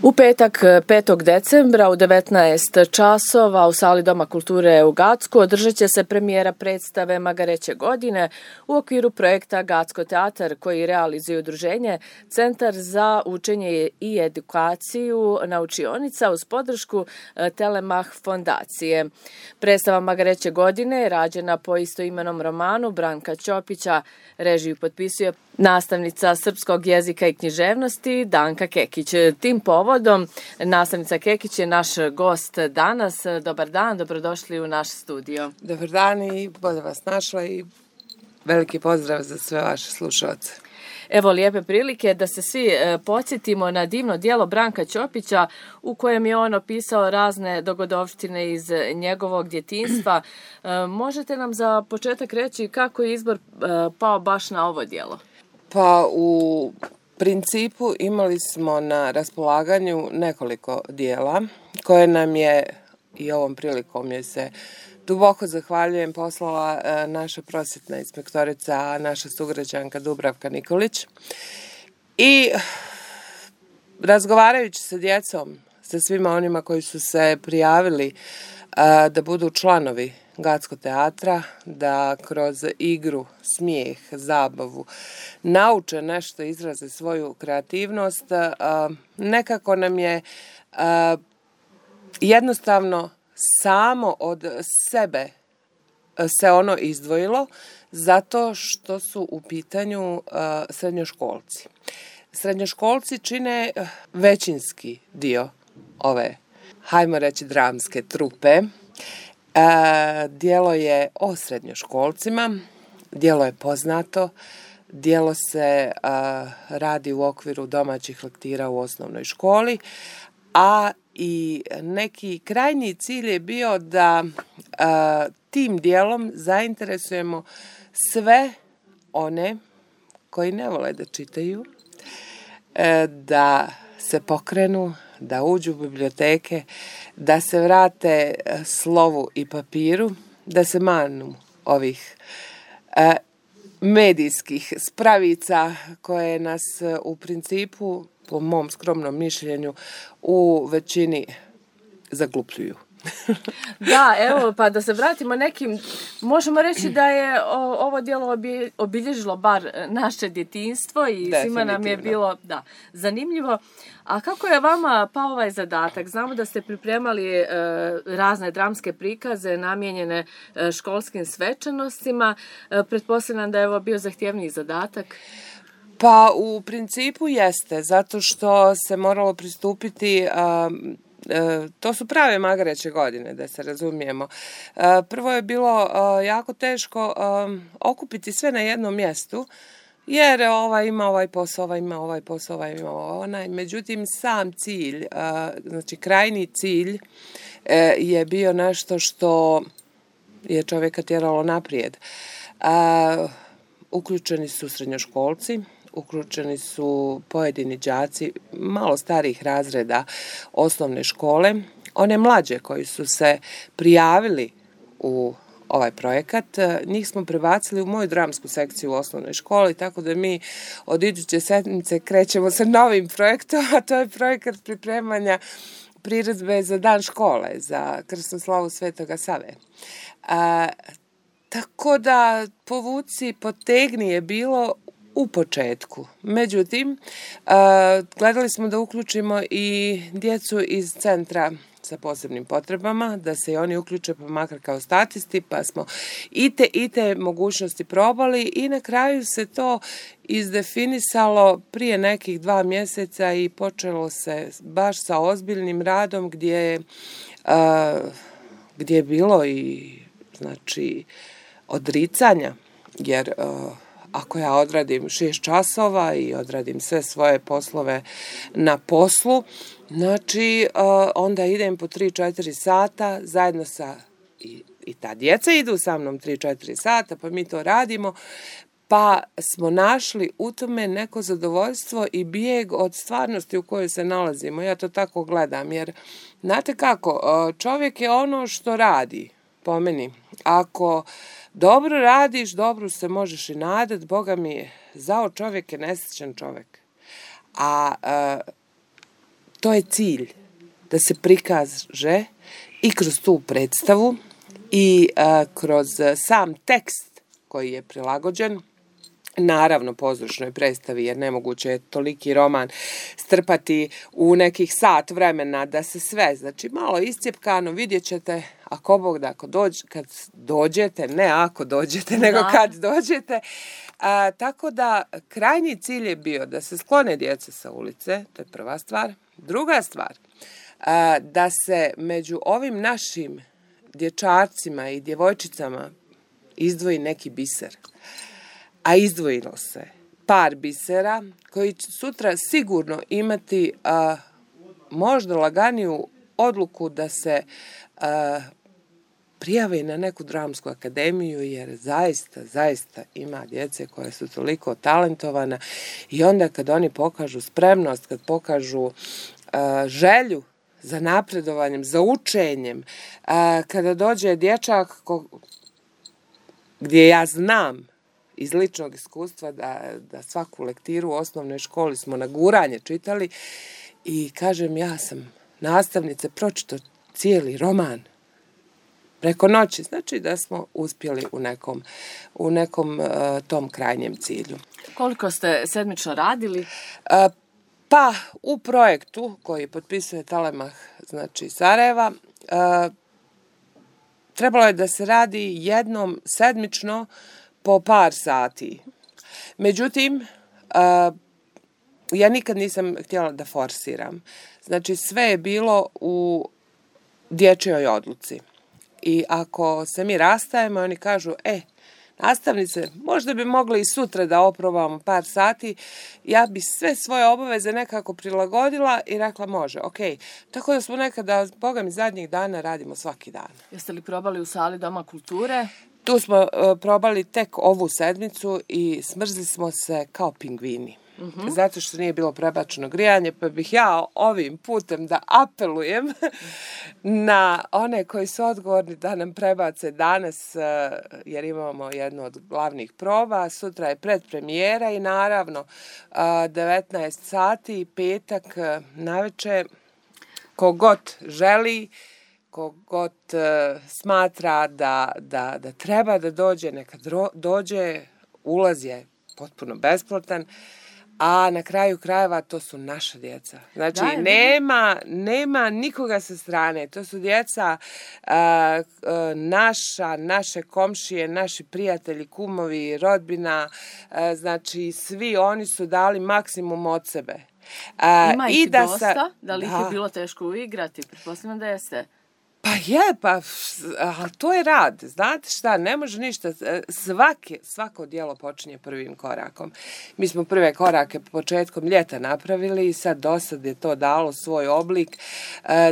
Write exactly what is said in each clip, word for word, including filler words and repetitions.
U petak petog decembra u devetnaest časova u sali Doma kulture u Gacku održat će se premijera predstave Magareće godine u okviru projekta Gacko teatar koji realizuje udruženje Centar za učenje i edukaciju naučionica uz podršku Telemach fondacije. Predstava Magareće godine je rađena po istoimenom romanu Branka Ćopića. Režiju potpisuje nastavnica srpskog jezika i književnosti Danka Kekić. Tim povodom nastavnica Kekić je naš gost danas. Dobar dan, dobrodošli u naš studio. Dobar dan i bolje vas našla i veliki pozdrav za sve vaše slušalce. Evo lijepe prilike da se svi e, podsjetimo na divno djelo Branka Ćopića u kojem je on opisao razne dogodovštine iz njegovog djetinjstva. E, možete nam za početak reći kako je izbor e, pao baš na ovo djelo? Pa u principu imali smo na raspolaganju nekoliko dijela koje nam je i ovom prilikom je se duboko zahvaljujem poslala e, naša prosvjetna inspektorica, naša sugrađanka Dubravka Nikolić. I razgovarajući sa djecom, sa svima onima koji su se prijavili e, da budu članovi Gacko teatra, da kroz igru, smijeh, zabavu nauče nešto, izraze svoju kreativnost, e, nekako nam je e, jednostavno samo od sebe se ono izdvojilo zato što su u pitanju uh, srednjoškolci. Srednjoškolci čine većinski dio ove, hajmo reći, dramske trupe. Uh, djelo je o srednjoškolcima, djelo je poznato, djelo se uh, radi u okviru domaćih lektira u osnovnoj školi, a i neki krajnji cilj je bio da a, tim dijelom zainteresujemo sve one koji ne vole da čitaju, e, da se pokrenu, da uđu u biblioteke, da se vrate slovu i papiru, da se manu ovih a, medijskih spravica koje nas u principu, po mom skromnom mišljenju, u većini zaglupljuju. Da, evo, pa da se vratimo nekim, možemo reći da je o, ovo djelo obilježilo bar naše djetinjstvo i svima nam je bilo da, zanimljivo. A kako je vama pao ovaj zadatak? Znamo da ste pripremali e, razne dramske prikaze namijenjene e, školskim svečanostima. E, pretpostavljam da je ovo bio zahtjevniji zadatak. Pa u principu jeste, zato što se moralo pristupiti, a, a, to su prave Magareće godine, da se razumijemo. A, prvo je bilo a, jako teško a, okupiti sve na jednom mjestu, jer ovaj ima ovaj posao, ovaj ima ovaj posao, ovaj ima onaj. Međutim, sam cilj, a, znači krajni cilj a, je bio nešto što je čovjeka tjeralo naprijed. A, uključeni su srednjoškolci, uključeni su pojedini đaci malo starih razreda osnovne škole, one mlađe koji su se prijavili u ovaj projekat, njih smo prebacili u moju dramsku sekciju u osnovnoj školi, tako da mi od iduće sedmice krećemo sa novim projektom, a to je projekat pripremanja priredbe za dan škole, za krsnu slavu Svetoga Save. A, tako da povuci, potegni je bilo u početku. Međutim, gledali smo da uključimo i djecu iz centra sa posebnim potrebama, da se i oni uključe pa makar kao statisti, pa smo i te, i te mogućnosti probali i na kraju se to izdefinisalo prije nekih dva mjeseca i počelo se baš sa ozbiljnim radom gdje je, gdje je bilo i znači odricanja, jer ako ja odradim šest časova i odradim sve svoje poslove na poslu, znači onda idem po tri četiri sata zajedno sa, i, i ta djeca idu sa mnom tri četiri sata, pa mi to radimo, pa smo našli u tome neko zadovoljstvo i bijeg od stvarnosti u kojoj se nalazimo. Ja to tako gledam, jer znate kako, čovjek je ono što radi, po meni. Ako dobro radiš, dobro se možeš i nadat, Boga mi je, zao čovjek je nesrećan čovjek. A, a to je cilj, da se prikaže i kroz tu predstavu i a, kroz sam tekst koji je prilagođen, naravno pozorišnoj predstavi, jer nemoguće je toliki roman strpati u nekih sat vremena da se sve, znači malo iscijepkano, vidjet ćete, ako Bog da, ako dođ, kad dođete, ne ako dođete, nego da. Kad dođete. A, tako da krajnji cilj je bio da se sklone djeca sa ulice, to je prva stvar. Druga stvar, a, da se među ovim našim dječarcima i djevojčicama izdvoji neki biser. A izdvojilo se par bisera koji će sutra sigurno imati a, možda laganiju odluku da se a, prijave na neku dramsku akademiju, jer zaista, zaista ima djece koje su toliko talentovana i onda kad oni pokažu spremnost, kad pokažu a, želju za napredovanjem, za učenjem, a, kada dođe dječak ko, gdje ja znam iz ličnog iskustva da, da svaku lektiru u osnovnoj školi smo na guranje čitali i kažem, ja sam nastavnice pročitao cijeli roman preko noći, znači da smo uspjeli u nekom, u nekom uh, tom krajnjem cilju. Koliko ste sedmično radili? Uh, pa u projektu koji potpisuje Telemach, znači Sarajeva, uh, trebalo je da se radi jednom sedmično po par sati. Međutim, uh, ja nikad nisam htjela da forsiram. Znači, sve je bilo u dječjoj odluci. I ako se mi rastajemo, oni kažu, e, nastavnice, možda bi mogli i sutra da oprobamo par sati, ja bi sve svoje obaveze nekako prilagodila i rekla može, ok. Tako da smo nekada, boga mi, zadnjih dana radimo svaki dan. Jeste li probali u sali Doma kulture? Tu smo uh, probali tek ovu sedmicu i smrzli smo se kao pingvini. Uh-huh. Zato što nije bilo prebačeno grijanje, pa bih ja ovim putem da apelujem na one koji su odgovorni da nam prebace danas, uh, jer imamo jednu od glavnih proba, sutra je predpremijera i naravno uh, devetnaest sati, petak uh, navečer, kogod želi, kogod uh, smatra da, da, da treba da dođe, neka dro, dođe, ulaz je potpuno besplatan, a na kraju krajeva to su naša djeca. Znači, da, nema, nema nikoga sa strane. To su djeca uh, uh, naša, naše komšije, naši prijatelji, kumovi, rodbina, uh, znači svi oni su dali maksimum od sebe. Uh, Ima ih i da dosta? Sa, da li da. Ih je bilo teško uigrati? Pretpostavljam da jeste. Pa je, pa ali to je rad. Znate šta, ne može ništa. Svake, svako djelo počinje prvim korakom. Mi smo prve korake početkom ljeta napravili i sad dosad je to dalo svoj oblik.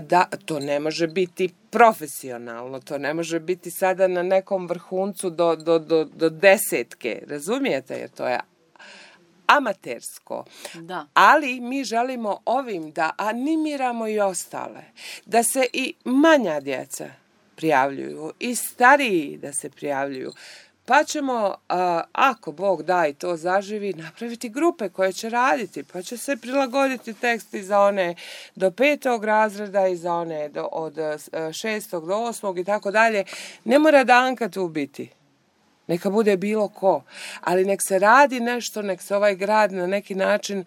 Da, to ne može biti profesionalno, to ne može biti sada na nekom vrhuncu do, do, do, do desetke. Razumijete? Jer to je amatersko. Da. Ali mi želimo ovim da animiramo i ostale, da se i manja djeca prijavljuju i stariji da se prijavljuju. Pa ćemo, ako Bog da i to zaživi, napraviti grupe koje će raditi, pa će se prilagoditi tekst i za one do petog razreda i za one do, od šestog do osmog i tako dalje. Ne mora da Anka tu biti. Neka bude bilo ko, ali nek se radi nešto, nek se ovaj grad na neki način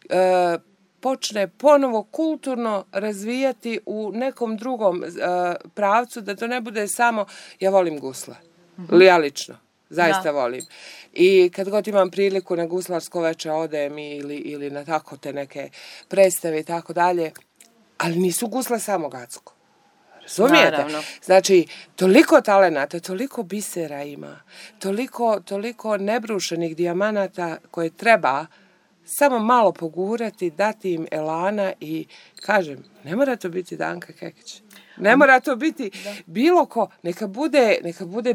e, počne ponovo kulturno razvijati u nekom drugom e, pravcu, da to ne bude samo ja volim gusle. Mm-hmm. Ja lično, zaista da. Volim. I kad god imam priliku na guslarsko veče odem ili, ili na tako te neke predstave i tako dalje, ali nisu gusle samo Gacko. Razumijete? Naravno. Znači, toliko talenata, toliko bisera ima, toliko, toliko nebrušenih dijamanata koje treba samo malo pogurati, dati im elana i, kažem, ne mora to biti Danka Kekić. Ne mora to biti da. Bilo ko. Neka bude, neka bude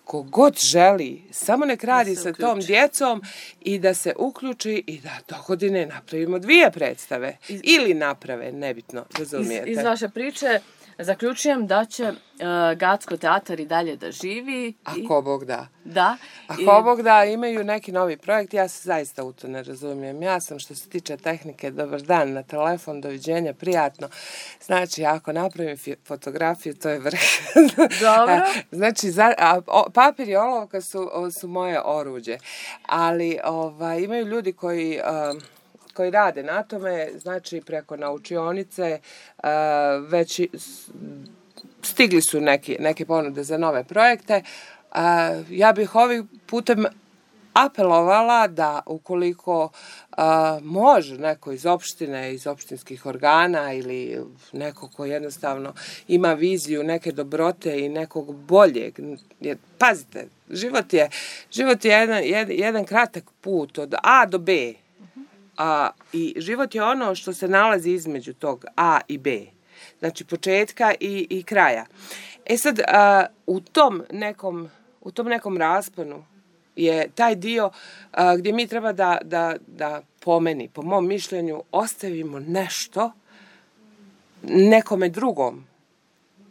kogod želi. Samo nek radi sa tom djecom i da se uključi i da do godine napravimo dvije predstave. Iz, ili naprave, nebitno, razumijete. Iz, iz vaše priče Zaključujem da će uh, Gacko teatar i dalje da živi. Ako Bog da. Da. Ako I... Bog da, imaju neki novi projekt, ja se zaista u to ne razumijem. Ja sam što se tiče tehnike, dobar dan na telefon, doviđenja, prijatno. Znači, ako napravim fotografiju, to je vrh. Dobro. Znači, za, a, o, papir i olovka su, su moje oruđe. Ali ovaj, imaju ljudi koji... Um, koji rade na tome, znači preko naučionice, uh, već stigli su neki, neke ponude za nove projekte. Uh, ja bih ovim putem apelovala da ukoliko uh, može neko iz opštine, iz opštinskih organa ili neko ko jednostavno ima viziju neke dobrote i nekog boljeg, jer pazite, život je, život je jedan, jedan, jedan kratak put od A do B. A, i život je ono što se nalazi između tog A i B, znači početka i, i kraja. E sad, a, u tom nekom, u tom nekom rasponu je taj dio a, gdje mi treba da, da, da po meni, po mom mišljenju, ostavimo nešto nekome drugom.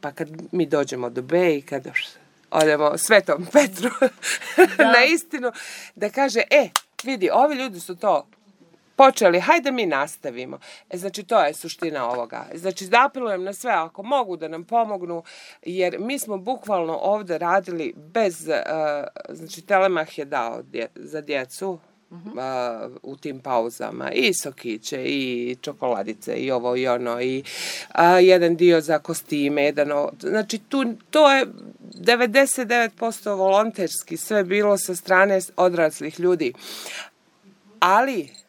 Pa kad mi dođemo do B i kad odemo Svetom Petru na istinu, da kaže, e, vidi, ovi ljudi su to počeli, hajde mi nastavimo. E, znači, to je suština ovoga. Znači, apelujem na sve, ako mogu da nam pomognu, jer mi smo bukvalno ovde radili bez, uh, znači, Telemah je dao dje, za djecu uh-huh. uh, u tim pauzama i sokiće, i čokoladice, i ovo i ono, i uh, jedan dio za kostime, jedan ovo. Znači, tu, to je devedeset devet posto volonterski sve bilo sa strane odraslih ljudi. Ali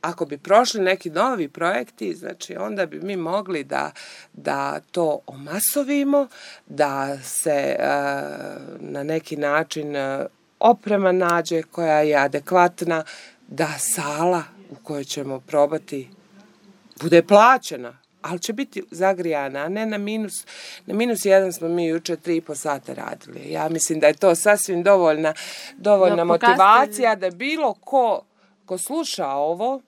ako bi prošli neki novi projekti, znači onda bi mi mogli da, da to omasovimo, da se uh, na neki način uh, oprema nađe koja je adekvatna, da sala u kojoj ćemo probati bude plaćena, ali će biti zagrijana, a ne na minus. Na minus jedan smo mi juče tri i po sata radili. Ja mislim da je to sasvim dovoljna, dovoljna no, motivacija da bilo ko, ko sluša ovo,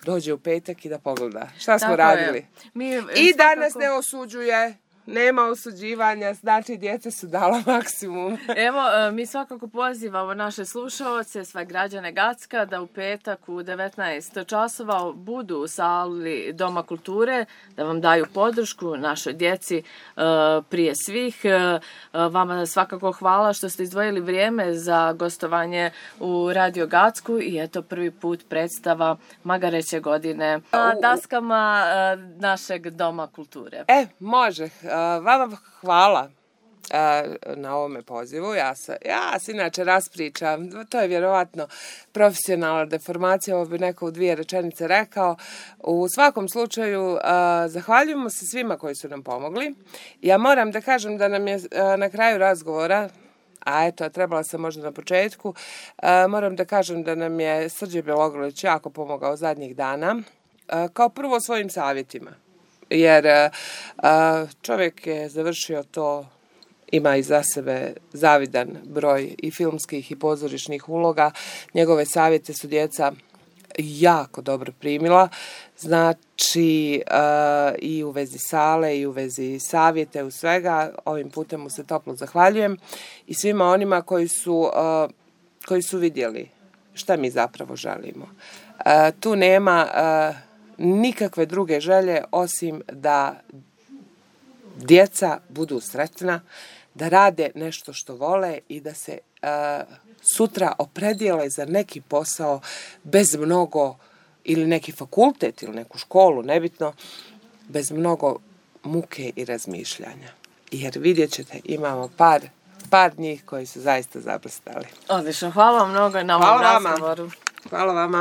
dođe u petak i da pogleda šta smo Tako radili. Mi, I svakako... danas ne osuđuje, nema osuđivanja, znači djeca su dala maksimum. Evo, mi svakako pozivamo naše slušaoce, sve građane Gacka, da u petak u devetnaest časova budu u sali Doma kulture, da vam daju podršku našoj djeci prije svih. Vama svakako hvala što ste izdvojili vrijeme za gostovanje u Radio Gacku i eto prvi put predstava Magareće godine na daskama našeg Doma kulture. E, može. Vama hvala na ovome pozivu. Ja se, ja se inače raspričam. To je vjerovatno profesionalna deformacija, ovo bi neko u dvije rečenice rekao. U svakom slučaju, zahvaljujemo se svima koji su nam pomogli. Ja moram da kažem da nam je na kraju razgovora, a eto, trebala sam možda na početku, moram da kažem da nam je Srđe Bjelogrlić jako pomogao zadnjih dana, kao prvo svojim savjetima. Jer uh, čovjek je završio to, ima iza sebe zavidan broj i filmskih i pozorišnih uloga. Njegove savjete su djeca jako dobro primila. Znači uh, i u vezi sale i u vezi savjete, u svega. Ovim putem mu se toplo zahvaljujem i svima onima koji su, uh, koji su vidjeli šta mi zapravo želimo. Uh, tu nema... Uh, nikakve druge želje osim da djeca budu sretna, da rade nešto što vole i da se uh, sutra opredijele za neki posao bez mnogo, ili neki fakultet ili neku školu, nebitno, bez mnogo muke i razmišljanja. Jer vidjet ćete, imamo par, par njih koji su zaista zablistali. Odlično, hvala vam mnogo na ovom razgovoru. Hvala vama.